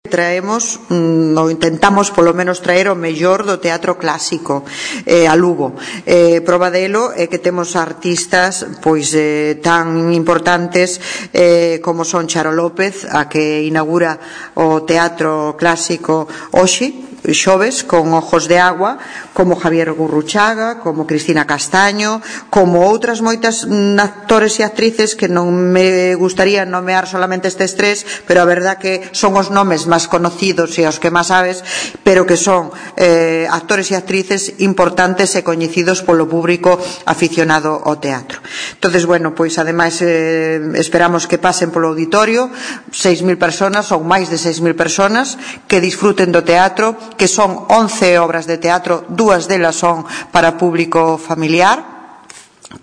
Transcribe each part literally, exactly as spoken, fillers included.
traemos, ou intentamos polo menos traer o mellor do teatro clásico eh, a Lugo. Eh, prova delo é que temos artistas pois eh, tan importantes eh, como son Charo López, a que inaugura o teatro clásico hoxe, xoves, con Ojos de Agua, como Javier Gurruchaga, como Cristina Castaño, como outras moitas actores e actrices que non me gustaría nomear solamente estes tres, pero a verdad que son os nomes máis conocidos e os que máis sabes, pero que son eh, actores e actrices importantes e coñecidos polo público aficionado ao teatro. Entonces, bueno, pois ademais eh, esperamos que pasen polo auditorio seis mil personas ou máis de seis mil personas que disfruten do teatro, que son once obras de teatro, dúas delas son para público familiar,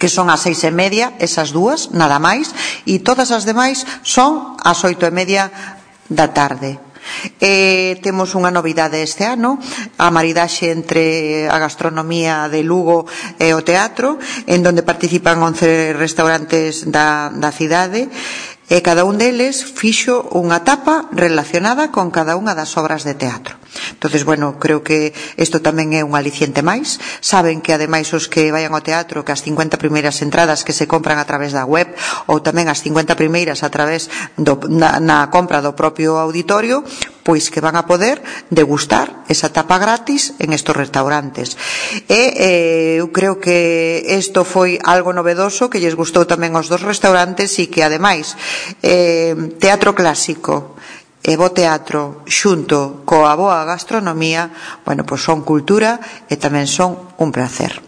que son ás seis e media, esas dúas, nada máis, e todas as demais son ás oito e media da tarde. Eh, temos unha novidade este ano, a maridaxe entre a gastronomía de Lugo e o teatro, en donde participan once restaurantes da, da cidade, e cada un deles fixo unha tapa relacionada con cada unha das obras de teatro. Entonces, bueno, creo que isto tamén é un aliciente máis. Saben que ademais os que vayan ao teatro, que as cincuenta primeiras entradas que se compran a través da web, ou tamén as cincuenta primeiras a través do, na, na compra do propio auditorio, pois que van a poder degustar esa tapa gratis en estos restaurantes. E eh, eu creo que isto foi algo novedoso que lles gustou tamén aos dos restaurantes e que ademais eh, teatro clásico e bo teatro xunto coa boa gastronomía, bueno, pois son cultura e tamén son un placer.